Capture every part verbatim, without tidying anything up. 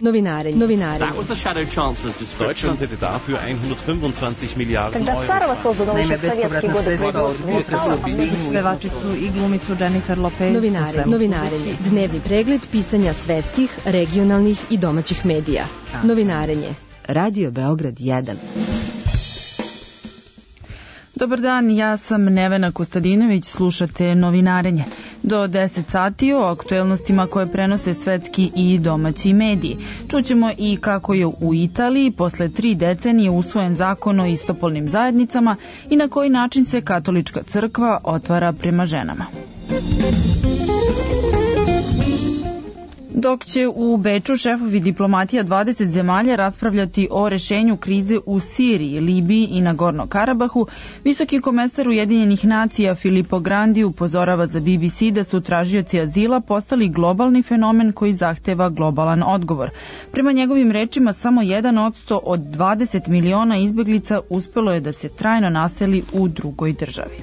Novinarenje. Novinarenje. That was the Shadow Chancellor's description. Deutschland hätte dafür hundertfünfundzwanzig Milliarden Когда Старого создано еще в советские годы производство, pevačicu i glumicu Jennifer Lopez. Novinarenje. Novinarenje. Dnevni pregled pisanja svetskih, regionalnih i domaćih medija. Novinarenje. Radio Beograd jedan. Dobar dan, ja sam Nevena Kostadinović, slušate Novinarenje. Do deset sati o aktuelnostima koje prenose svetski i domaći mediji. Čućemo i kako je u Italiji posle tri decenije usvojen zakon o istopolnim zajednicama i na koji način se katolička crkva otvara prema ženama. Dok će u Beču šefovi diplomatija dvadeset zemalja raspravljati o rešenju krize u Siriji, Libiji i Nagorno-Karabahu, visoki komesar Ujedinjenih nacija Filippo Grandi upozorava za B B C da su tražioci azila postali globalni fenomen koji zahteva globalan odgovor. Prema njegovim rečima, samo jedan odsto od dvadeset miliona izbeglica uspelo je da se trajno naseli u drugoj državi.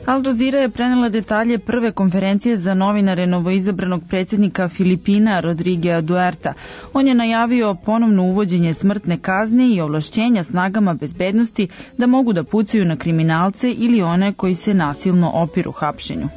Al Jazeera je prenela detalje prve konferencije za novinare novoizabranog predsjednika Filipina Rodriguea Duerta. On je najavio ponovno uvođenje smrtne kazne i ovlašćenja snagama bezbednosti da mogu da pucaju na kriminalce ili one koji se nasilno opiru hapšenju.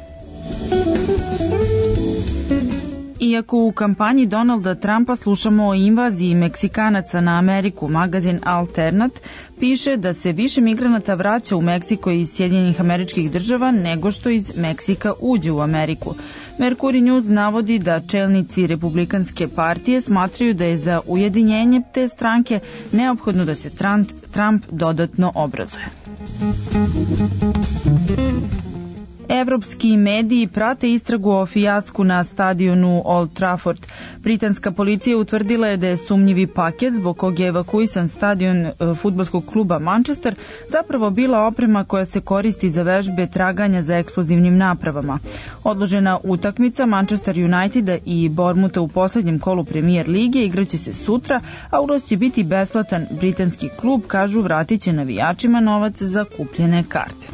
Iako u kampanji Donalda Trumpa slušamo o invaziji Meksikanaca na Ameriku, magazin Alternat piše da se više migranata vraća u Meksiko iz Sjedinjenih Američkih Država nego što iz Meksika uđe u Ameriku. Mercury News navodi da čelnici Republikanske partije smatraju da je za ujedinjenje te stranke neophodno da se Trump dodatno obrazuje. Evropski mediji prate istragu o fijasku na stadionu Old Trafford. Britanska policija utvrdila je da je sumnjivi paket zbog kog je evakuisan stadion fudbalskog kluba Manchester zapravo bila oprema koja se koristi za vežbe traganja za eksplozivnim napravama. Odložena utakmica Manchester Uniteda i Bournemoutha u poslednjem kolu Premier lige igraće se sutra, a ulaz će biti besplatan. Britanski klub, kažu, vratit će navijačima novac za kupljene karte.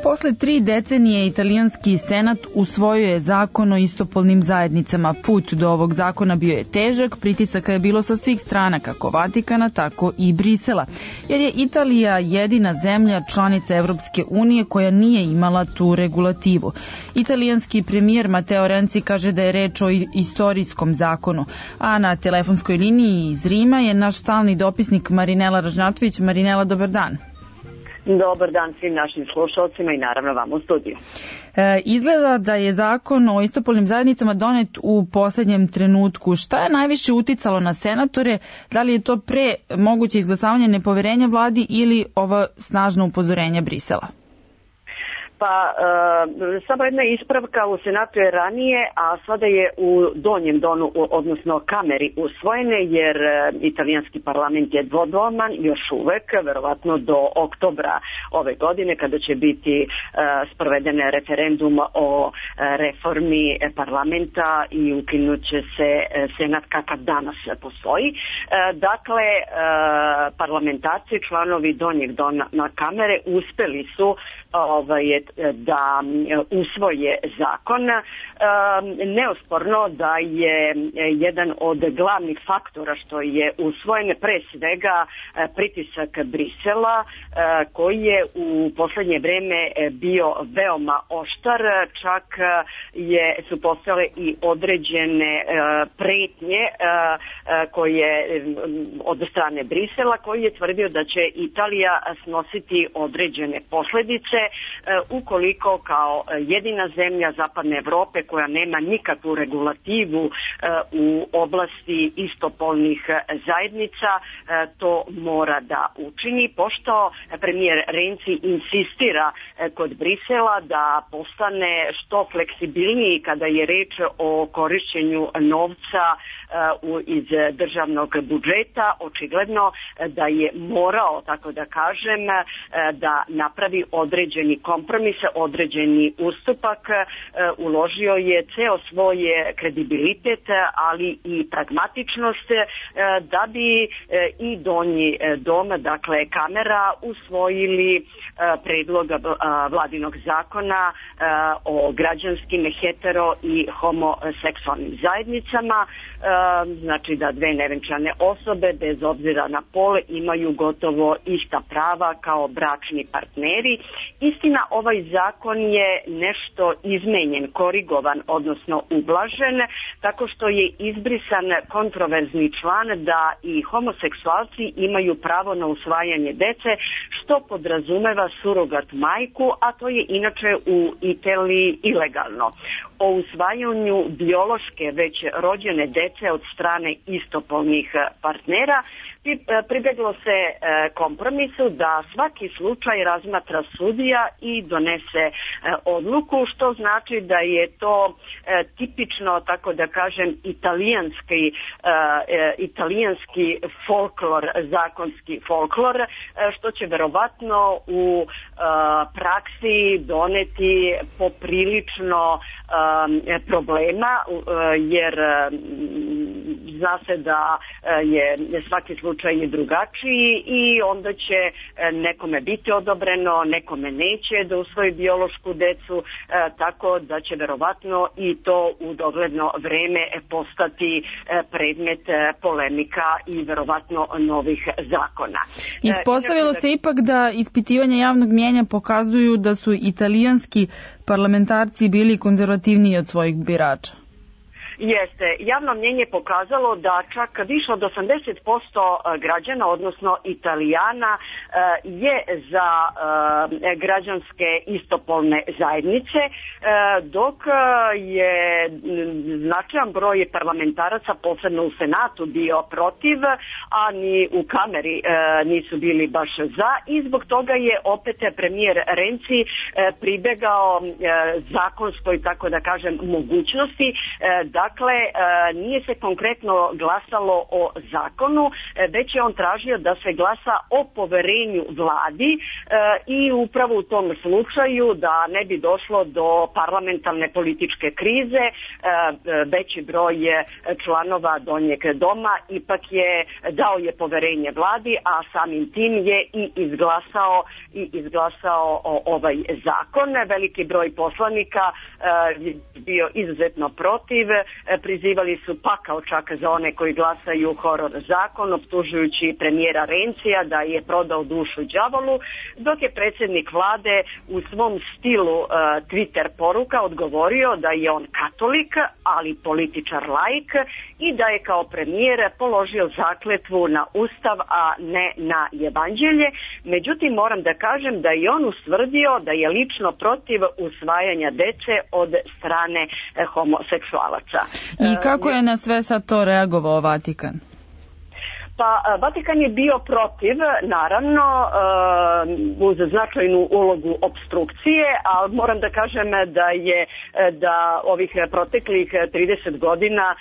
Posle tri decenije italijanski senat usvojio je zakon o istopolnim zajednicama. Put do ovog zakona bio je težak, pritisaka je bilo sa svih strana, kako Vatikana, tako i Brisela, jer je Italija jedina zemlja članica Evropske unije koja nije imala tu regulativu. Italijanski premijer Matteo Renzi kaže da je reč o istorijskom zakonu, a na telefonskoj liniji iz Rima je naš stalni dopisnik Marinela Ražnatović. Marinela, dobar dan. Dobar dan svim našim slušalcima i naravno vam u studiju. E, izgleda da je zakon o istopolnim zajednicama donet u poslednjem trenutku. Šta je najviše uticalo na senatore? Da li je to pre moguće izglasavanje nepoverenja vladi ili ova snažna upozorenja Brisela? Pa e, samo jedna ispravka, u Senatu je ranije, a sada je u donjem donu, odnosno kameri usvojene, jer e, italijanski parlament je dvodoman još uvek, verovatno do oktobra ove godine, kada će biti e, sproveden referendum o e, reformi parlamenta i ukinut će se e, Senat kakav danas postoji. E, dakle, e, parlamentarci, članovi donjeg dona na kamere uspeli su ovaj, da usvoje zakon. Neosporno da je jedan od glavnih faktora što je usvojen pre svega pritisak Brisela, koji je u poslednje vreme bio veoma oštar, čak je, su postale i određene pretnje koje od strane Brisela, koji je tvrdio da će Italija snositi određene posledice ukoliko kao jedina zemlja Zapadne Evrope koja nema nikakvu regulativu u oblasti istopolnih zajednica to mora da učini, pošto premijer Renzi insistira kod Brisela da postane što fleksibilniji kada je reč o korišćenju novca iz državnog budžeta, očigledno da je morao, tako da kažem, da napravi određeni kompromis, određeni ustupak, uložio je ceo svoj kredibilitet, ali i pragmatičnost da bi i donji dom, dakle kamera, usvojili predlog vladinog zakona o građanskim, hetero i homoseksualnim zajednicama, znači da dve nevenčane osobe bez obzira na pol imaju gotovo ista prava kao bračni partneri. Istina, ovaj zakon je nešto izmenjen, korigovan, odnosno ublažen, tako što je izbrisan kontroverzni član da i homoseksualci imaju pravo na usvajanje dece, što podrazumeva surogat majku, a to je inače u Italiji ilegalno. O usvajanju biološke već rođene dece od strane istopolnih partnera pribeglo se kompromisu da svaki slučaj razmatra sudija i donese odluku, što znači da je to tipično, tako da kažem, italijanski, italijanski folklor, zakonski folklor, što će verovatno u praksi doneti poprilično problema, jer zna se da je svaki slučaj je drugačiji i onda će nekome biti odobreno, nekome neće da usvoji biološku decu, tako da će verovatno i to u dogledno vreme postati predmet polemika i verovatno novih zakona. Ispostavilo se ipak da ispitivanja javnog mnijenja pokazuju da su italijanski parlamentarci bili konzervativniji od svojih birača. Jeste. Javno mnjenje pokazalo da čak više od osamdeset posto građana, odnosno Italijana, je za građanske istopolne zajednice, dok je značajan broj parlamentaraca, posebno u Senatu, bio protiv, a ni u kameri nisu bili baš za, i zbog toga je opet premijer Renzi pribegao zakonskoj, tako da kažem, mogućnosti da Dakle, nije se konkretno glasalo o zakonu, već je on tražio da se glasa o poverenju vladi i upravo u tom slučaju, da ne bi došlo do parlamentarne političke krize, veći broj članova donjeg doma ipak je dao je poverenje vladi, a samim tim je i izglasao i izglasao ovaj zakon. Veliki broj poslanika je bio izuzetno protiv, prizivali su pakao čak za one koji glasaju horor zakon, optužujući premijera Renzija da je prodao dušu đavolu, dok je predsjednik vlade u svom stilu uh, Twitter poruka odgovorio da je on katolik, ali političar laik, i da je kao premijer položio zakletvu na ustav, a ne na evanđelje. Međutim, moram da kažem da je on ustvrdio da je lično protiv usvajanja dece od strane eh, homoseksualaca. I kako je na sve sad to reagovao Vatikan? Pa Vatikan je bio protiv, naravno, uz značajnu ulogu opstrukcije, ali moram da kažem da je da ovih proteklih trideset godina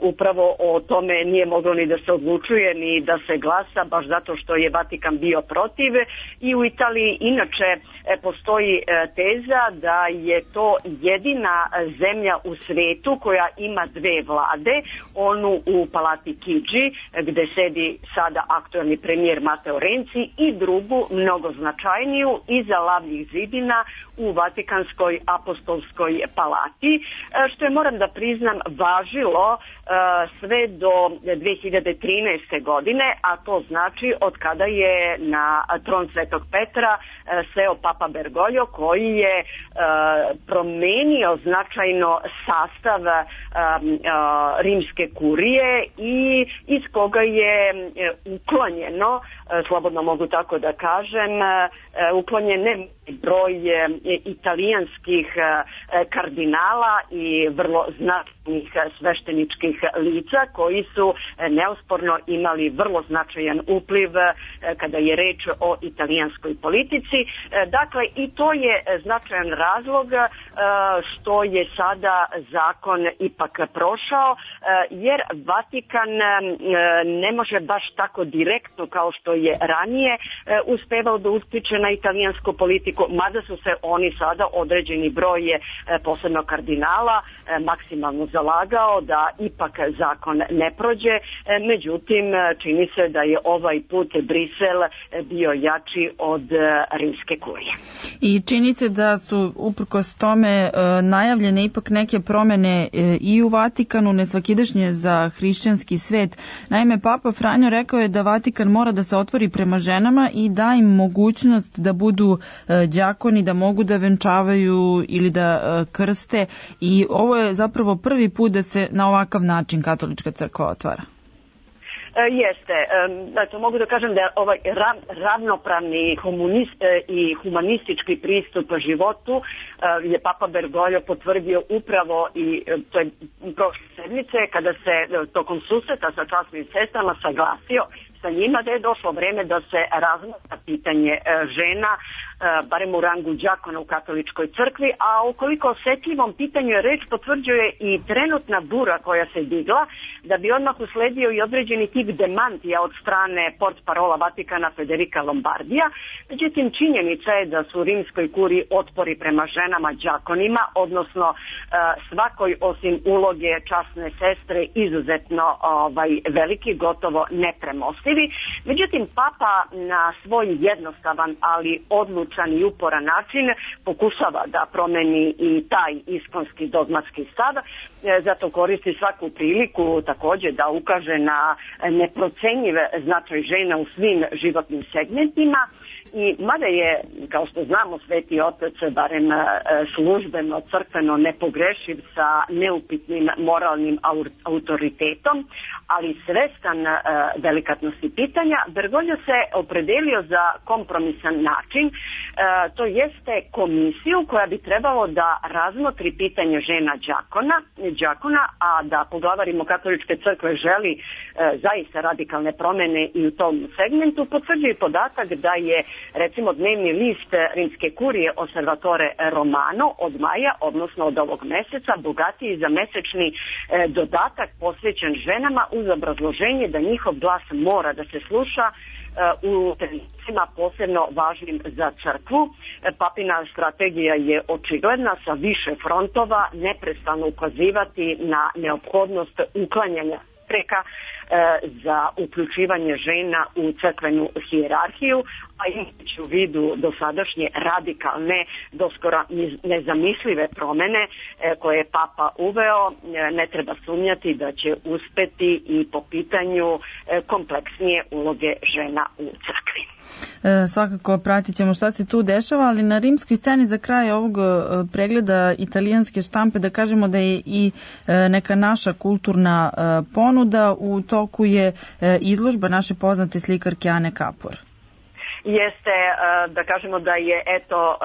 upravo o tome nije moglo ni da se odlučuje, ni da se glasa, baš zato što je Vatikan bio protiv. I u Italiji inače postoji teza da je to jedina zemlja u svetu koja ima dve vlade, onu u Palati Chigi, gde sedi sada aktualni premijer Matteo Renzi, i drugu, mnogo značajniju, iza lavnih zidina u Vatikanskoj apostolskoj palati, što je, moram da priznam, važilo sve do dve hiljade trinaeste. godine, a to znači od kada je na tron Svetog Petra seo Papa Bergoglio, koji je promenio značajno sastav rimske kurije i iz koga je uklonjeno slobodno mogu tako da kažem, uklonjen ne broj italijanskih kardinala i vrlo značajnih svešteničkih lica koji su neosporno imali vrlo značajan upliv kada je reč o italijanskoj politici. Dakle, i to je značajan razlog što je sada zakon ipak prošao, jer Vatikan ne može baš tako direktno kao što je ranije uspevao da utiče na italijansku politiku, mada su se oni sada određeni broj posebno kardinala maksimalno zalagao da ipak zakon ne prođe, međutim čini se da je ovaj put Brisel bio jači od rimske kurije. I čini se da su uprkos tome najavljene ipak neke promene i u Vatikanu, nesvakidašnje za hrišćanski svet. Naime, Papa Franjo rekao je da Vatikan mora da se otvori prema ženama i da im mogućnost da budu đakoni, da mogu da venčavaju ili da krste, i ovo je zapravo prvi put da se na ovakav način katolička crkva otvara. Jeste, eto, mogu da kažem da je ovaj ravnopravni i humanistički pristup životu je Papa Bergoglio potvrdio upravo, i to je prošle sedmice kada se tokom susreta sa časnim sestrama saglasio sa njima da je došlo vreme da se razmatra pitanje žena, barem u rangu đakona u katoličkoj crkvi, a ukoliko osetljivom pitanju je reč, potvrđuje i trenutna bura koja se digla, da bi odmah usledio i određeni tip demantija od strane portparola Vatikana Federica Lombardija. Međutim, činjenica je da su u rimskoj kuriji otpori prema ženama đakonima, odnosno svakoj osim uloge časne sestre, izuzetno ovaj, veliki, gotovo nepremostivi. Međutim, Papa na svoj jednostavan, ali odlučan i uporan način pokušava da promeni i taj iskonski dogmatski stav, zato koristi svaku priliku takođe da ukaže na neprocenjiv značaj žena u svim životnim segmentima. I mada je, kao što znamo, Sveti Otac barem službeno, crkveno nepogrešiv sa neupitnim moralnim autoritetom, ali svestan uh, delikatnosti pitanja, Bergoglio se opredelio za kompromisan način, uh, to jeste komisiju koja bi trebalo da razmotri pitanje žena đakona, đakona, a da poglavarimo katoličke crkve želi uh, zaista radikalne promene i u tom segmentu, potvrđuje podatak da je recimo dnevni list rimske kurije Osservatore Romano od maja, odnosno od ovog meseca, bogatiji za mesečni uh, dodatak posvećen ženama uz obrazloženje da njihov glas mora da se sluša u trenucima posebno važnim za crkvu. Papina strategija je očigledna, sa više frontova neprestano ukazivati na neophodnost uklanjanja preka za uključivanje žena u crkvenu hijerarhiju, a imajući u vidu dosadašnje radikalne, doskora nezamislive promene koje je Papa uveo, ne treba sumnjati da će uspeti i po pitanju kompleksnije uloge žena u crkvi. E, svakako pratit ćemo šta se tu dešava, ali na rimskoj sceni za kraj ovog pregleda italijanske štampe da kažemo da je i neka naša kulturna ponuda. U toku je izložba naše poznate slikarke Ane Kapor. Jeste, da kažemo da je eto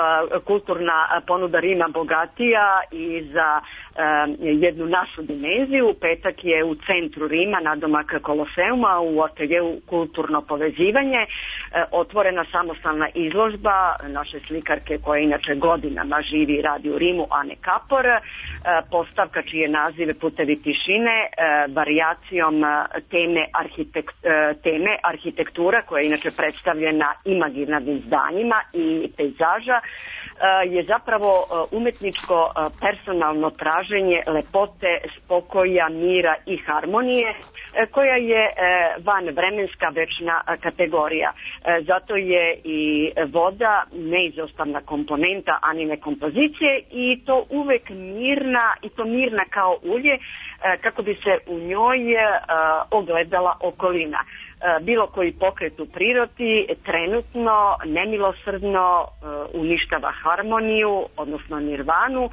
kulturna ponuda Rima bogatija i za jednu našu dimenziju. Petak je u centru Rima, nadomak Koloseuma, u ateljeu Kulturno povezivanje, otvorena samostalna izložba naše slikarke koja inače godinama živi i radi u Rimu, Ane Kapor, postavka čije nazive Putevi tišine, varijacijom teme, arhitekt, teme arhitektura koja je inače predstavljena imaginarnim zdanjima i pejzaža, je zapravo umetničko personalno traženje lepote, spokoja, mira i harmonije, koja je van vremenska večna kategorija. Zato je i voda neizostavna komponenta Anine kompozicije i to uvek mirna, i to mirna kao ulje, kako bi se u njoj ogledala okolina. Bilo koji pokret u prirodi trenutno nemilosrdno uništava harmoniju, odnosno nirvanu,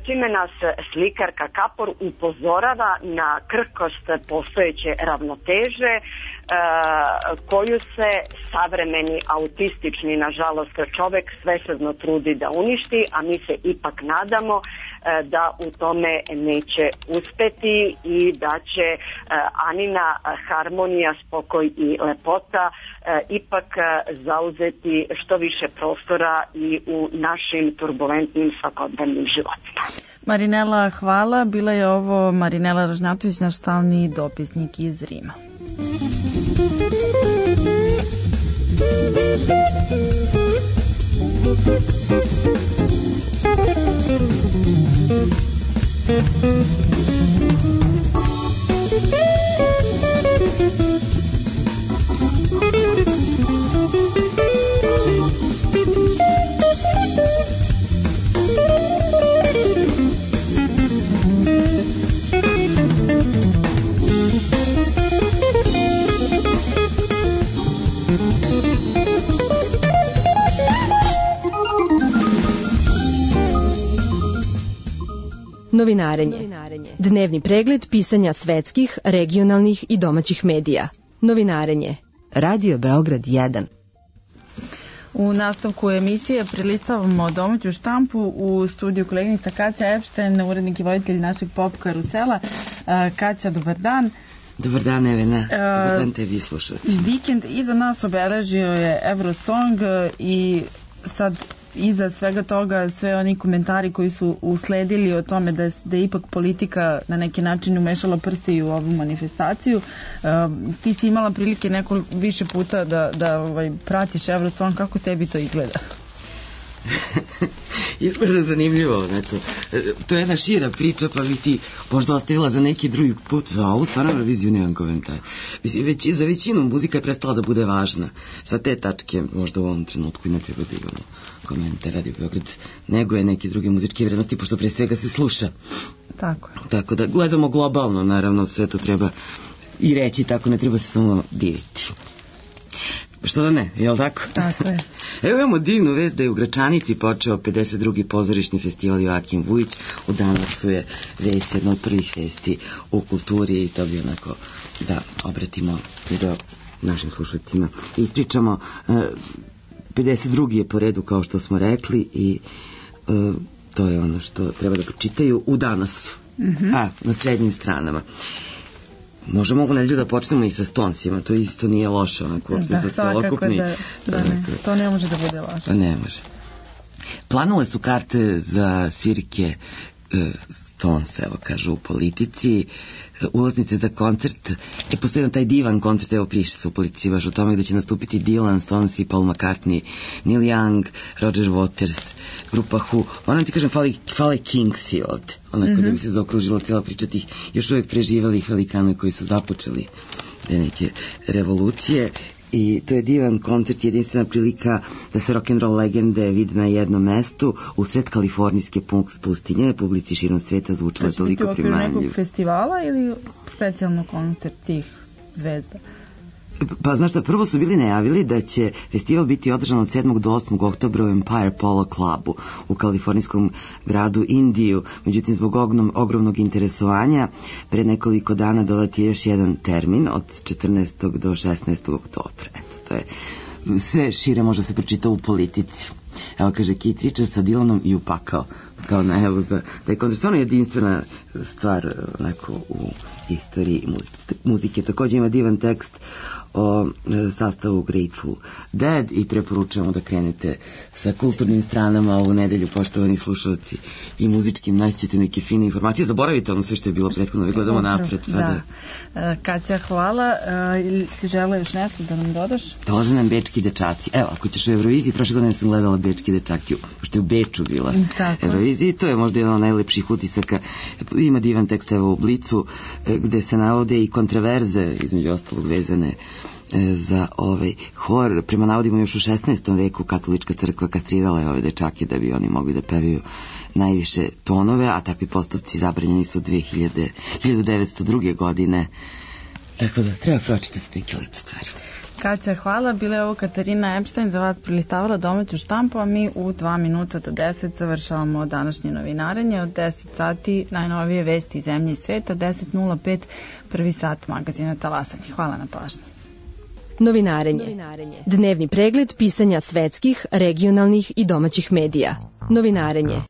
čime nas slikarka Kapor upozorava na krhkost postojeće ravnoteže koju se savremeni autistični, nažalost, čovek svesrdno trudi da uništi, a mi se ipak nadamo da u tome neće uspeti i da će Anina harmonija, spokoj i lepota ipak zauzeti što više prostora i u našim turbulentnim svakodnevnim životima. Marinela, hvala. Bila je ovo Marinela Ražnjatović, naš stalni dopisnik iz Rima. Novinarenje. Dnevni pregled pisanja svetskih, regionalnih i domaćih medija. Novinarenje. Radio Beograd jedan. U nastavku emisije prelistavamo domaću štampu u studiju koleginica Kaća Epšten, urednik i voditelj našeg pop karusela. Kaća, dobar dan. Dobar dan, Evena. Dobar dan tebi slušalci. Vikend iza nas obeležio je Eurosong i sad iza svega toga sve oni komentari koji su usledili o tome da, da je ipak politika na neki način umešala prste i u ovu manifestaciju. Uh, ti si imala prilike neko više puta da, da ovaj, pratiš Eurosong, kako tebi to izgleda? Izgleda zanimljivo, neko. To je jedna šira priča, pa bi ti možda ostavila za neki drugi put. Za ovu stvarno Euroviziju nemam komentar. Mislim, već, za većinu muzika je prestala da bude važna. Sa te tačke možda u ovom trenutku i ne treba da imamo komentar Radio Beograd, nego je neke druge muzičke vrednosti, pošto pre svega se sluša. Tako je. Tako da gledamo globalno, naravno, sve to treba i reći, tako ne treba se samo diviti. Što da ne, je li tako? Tako je. Evo imamo divnu vest da je u Gračanici počeo pedeset drugi pozorišni festival Joakim Vujić. U Danasu je vest jedna od prvih vesti u kulturi i to bi onako da obratimo i do našim slušacima. Ispričamo, pedeset drugi je po redu kao što smo rekli i to je ono što treba da pročitaju u Danasu, mm-hmm. a, na srednjim stranama. Možemo mogu nedelju da počnemo i sa Stonesima, to isto nije loše, onako, da, za celokupni. Da, da ne, to ne može da bude loše. Ne može. Planovale su karte za svirke e, Stones, evo kažu, u politici, ulaznice za koncert, e, postoji taj divan koncert, evo piše se u politici baš o tome, gde će nastupiti Dylan, Stones i Paul McCartney, Neil Young, Roger Waters, grupa Who. Ono ti kažem, fali, fali Kingsi ovde, onako mm-hmm. da bi se zaokružila cijela priča tih još uvijek preživelih velikana koji su započeli te neke revolucije. I to je divan koncert, jedinstvena prilika da se rock'n'roll legende vide na jednom mestu u sred kalifornijske pustinje, publici širom sveta zvučalo toliko primamljivo. Znači biti u okviru nekog festivala ili specijalno koncert tih zvezda? Pa znaš šta, prvo su bili najavili da će festival biti održan od sedmog do osmog oktobra u Empire Polo Clubu u kalifornijskom gradu Indiju. Međutim, zbog ogrom, ogromnog interesovanja pre nekoliko dana dodat je još jedan termin od četrnaestog do šesnaestog oktobra. Eto, to je sve šire možda se pročita u politici. Evo kaže Keith Richards sa Dylanom i upakao kao najavu za da je koncert stvarno jedinstvena stvar onako u istoriji muzike. Također ima divan tekst o sastavu Grateful Dead i preporučujemo da krenete sa kulturnim stranama ovu nedelju, poštovani slušalci, i muzičkim, naćete neke fine informacije. Zaboravite ono sve što je bilo prethodno, gledamo napred. Pa da. da. Kaća, hvala. Ili si žele još nešto da nam dodaš? Dolaze nam bečki dečaci. Evo, ako ćeš u Euroviziji, prošle godine sam gledala bečki dečaki, pošto je u Beču bila Tako. Euroviziji. To je možda jedan od najlepših utisaka. Ima divan tekst evo u Blicu, gde se navode i kontraverze, između ostalog vezane za ovaj hor. Prema navodima još u šesnaestom veku katolička crkva kastrirala je ove dečake da bi oni mogli da pevaju najviše tonove, a takvi postupci zabranjeni su hiljadu devetsto druge. godine. Tako da treba pročitati neke lepe stvari. Kaća, hvala. Bila je ovo Katarina Epštajn, za vas prelistavala domaću štampu, a mi u dva minuta do deset završavamo današnje novinarenje. Od deset sati najnovije vesti iz zemlje i sveta, deset nula pet prvi sat magazina Talasanje. Hvala na pažnji. Novinarenje. Dnevni pregled pisanja svetskih, regionalnih i domaćih medija. Novinarenje.